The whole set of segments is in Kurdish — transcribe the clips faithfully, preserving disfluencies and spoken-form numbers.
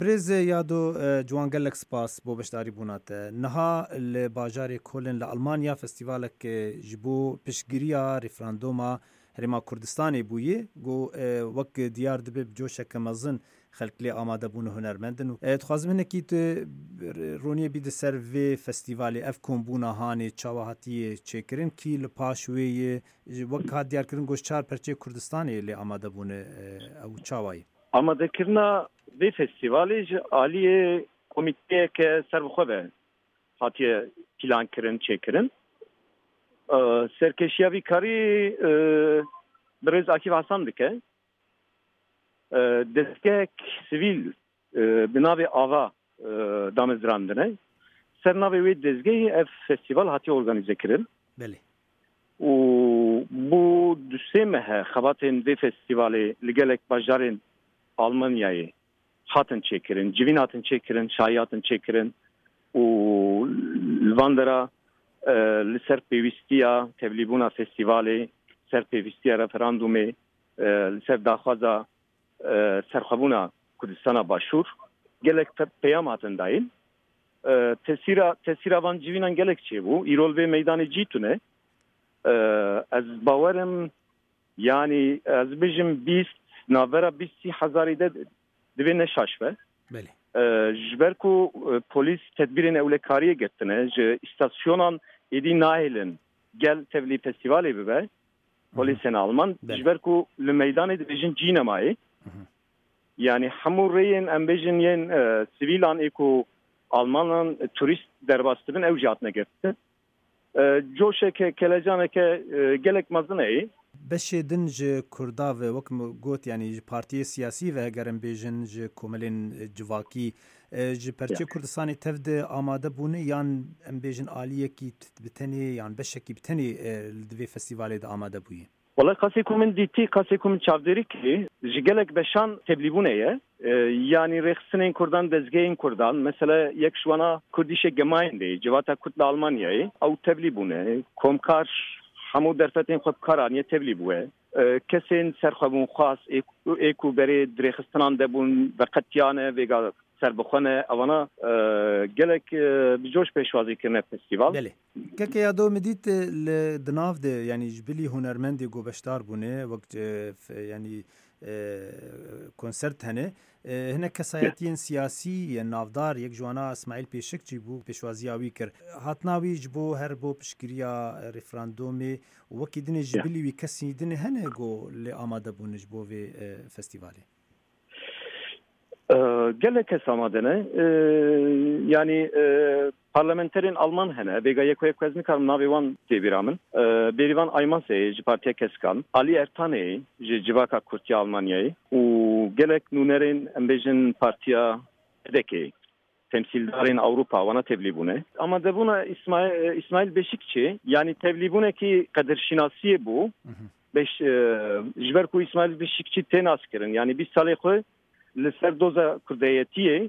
Birêz Yado, e, Ciwan, gelek spas bo beşdarîbûna te. Niha li bajarê Kolin li Almanya festîvalek, e, ji bo piştgiriya referandoma Herêma Kurdistanê bûye, ku, e, wek diyar dibe bi coşeke mezin xelk lê amade bûne, hunermend in. E, dixwazim hinekî tu roniyê bî di ser vê festîvalê, ev kombûna hanê çawa hatiye çêkirin, kî li paş wê ye, ji, wek hat diyarkirin, ku ji çar perçeyê Kurdistanê lê amade bûne, e, ew çawa ye? Amadekirina vê festîvalê ji aliyê komîteyeke serbixwe ve hatiye plankirin, çêkirin. E, serkêşiya vî karî, e, birêz Akîf Hasan dike. E, destgehek sivîl, e, bi navê Ava, e, damezrandine. Ser navê wê dezgehî ev festîval hatiye organîze kirin. Belê. Û bû du sê meh e xebatên vê festîvalê li gelek bajarên Almanyayê hatin çêkirin, civîn hatin çêkirin, şahî hatin çêkirin û li van dera, e, li ser pêwîstiya tevlîbûna festîvalê, ser pêwîstiya referandumê, e, li ser daxwaza, e, serxwebûna Kurdistana Başûr gelek pe-, peyam hatin dayîn. E, tesîra, tesîra van civînan gelek çêbû. Îro li vê meydanê cî tune. E, ez bawerim, yanî ez bijim bîst, navbera bîst sî hezarî de divê ne şaş be. Belê. E, ji ber ku, e, polîs tedbîrên ewlekariyê girtine, ji îstasyonan êdî nahêlin gel tevlî festîvalê bibe, polîsên Alman, Belê. Ji ber ku li meydanê dibêjin cî nemaye. Hı hı. Yanî hemû rêyên, em bêjin, yên, e, sivîlan ê ku Almanan, e, turîst derbas dibin, ew jî hatine girtin. E, coşeke, kelecaneke, e, gelek mezin heye. Beşê din ji Kurda ve, wek min got, yanî ji partiyê siyasî ve, heger em bêjin, ji komelên, e, civakî, e, ji perçê Ya. Kurdistanê tev de amade bûne, yan em bêjin aliyekî t-, bi tenê, yan beşekî bi tenê, e, li divê festîvalê de amade bûye? Wele qasê ku min dîtî, qasê ku min çavdêrî kirî, ji gelek beşan tevlîbûne ye. E, yanî rêxistinên Kurdan, dezgehên Kurdan, mesela yek ji wana Kurdische Gemeinde, Civata Kurd li Almanyayê, ew tevlî bûne. Komkar hemû derfetên xwe bi kar aniye, tevlî bûye. E, kesên serxwebûnxwaz ê, ê ku berê di rêxistinan de bûn, veqetiyane, vêga serbixwe ne. Evana, e, gelek, e, bi coş pêşwazî kirine festîval. Belê. Keke Yado, min dît, e, li di nav de, yanî ji bilî hunermendê ku beşdar bûne, wek, e, f-, yanî, e, konsert hene. E, hinek kesayetiyên siyasî yên navdar, yek ji wana Îsmaîl Pêşikçî bû, pêşwaziya wî kir. Hatina wî ji bo her bo piştgiriya referandumê û wekî dinê ji Ya. bilî wî kesî dinê hene ku lê amade bûne ji bo vê, e, festîvalê? E, gelek kes amade ne. E, yanî, e, parlamenterên Alman hene. Vêga yek û yek ez nikarim navê wan tê bîra min. E, Bêrîvan Aymazê ji Partiya Keskan, Alî Ertanê ji Civaka Kurd ya Almanyayê û gelek nûnerên, em bêjin, Partiya P D K'ê, temsîldarên Ewropa, wana tevlî bûne. Amadebûna Îsmaî-, Îsmaîl Beşikçî, yanî tevlîbûnekî qedirşînasiyê bû. Mhm. Beş-, e, ji ber ku Îsmaîl Beşikçî tê naskirin, yanî bîst salê xwe li ser doza kurdeyetiyê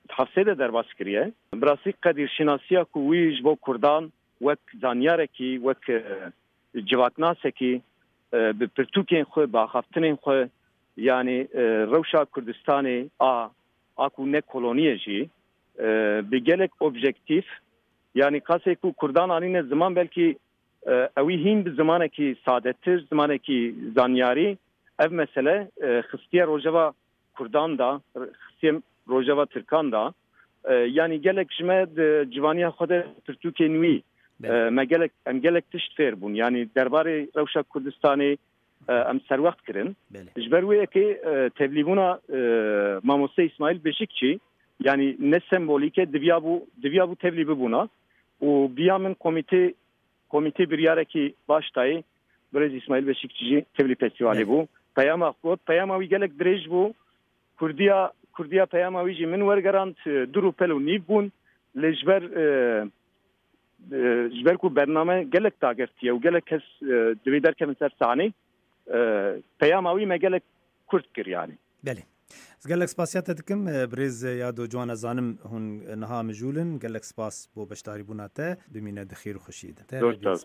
di hefsê de derbas kiriye. Bi rastî qedirşînasiya ku wî ji bo kurdan wek zanyarekî, wek, e, civaknasekî, e, bi pirtûkên xwe, bi axaftinên xwe, yanî, e, rewşa Kurdistanê a, a ku ne kolonî ye jî, e, bi gelek objektîf, yanî qasê ku kurdan anîne ziman, belkî, e, ewî hîn bi zimanekî sadetir, zimanekî zanyarî ev mesele, e, xistiye rojeva kurdan da, xistiye rojeva tirkan da. E, yanî gelek ji me di civaniya xwe de pirtûkên wî, Belê. e, me gelek, em gelek tişt fêr bûn. Yanî derbarê rewşa Kurdistanê, e, em serwext kirin. Belê. Ji ber wê yekê, e, tevlîbûna, e, mamoste Îsmaîl Beşikçî, yanî ne sembolîk e, diviya bû, diviya bû tevlî bibûna. Û biya min komîtê, komîtê biryarekî baş dayê, birêz Îsmaîl Beşikçî jî tevlî festîvalê Belê. bû. Peyama got, peyama wî gelek dirêj bû. Kurdiya, Kurdiya peyama wî jî min wergerand, e, du rûpel û nîv bûn. Lê ji ber, e, e, ji ber ku bername gelek dagirtiye û gelek kes, e, divê derkevin ser sahnê, e, peyama wî me gelek kurt kir, yanî. Belê. Ez gelek spasiya te dikim, e, birêz Yado Ciwan, ez zanim hûn niha mijûl in. Gelek spas bo beşdarîbûna te. Bimîne di xêr û xweşiyê de. Te Zor rebî spas.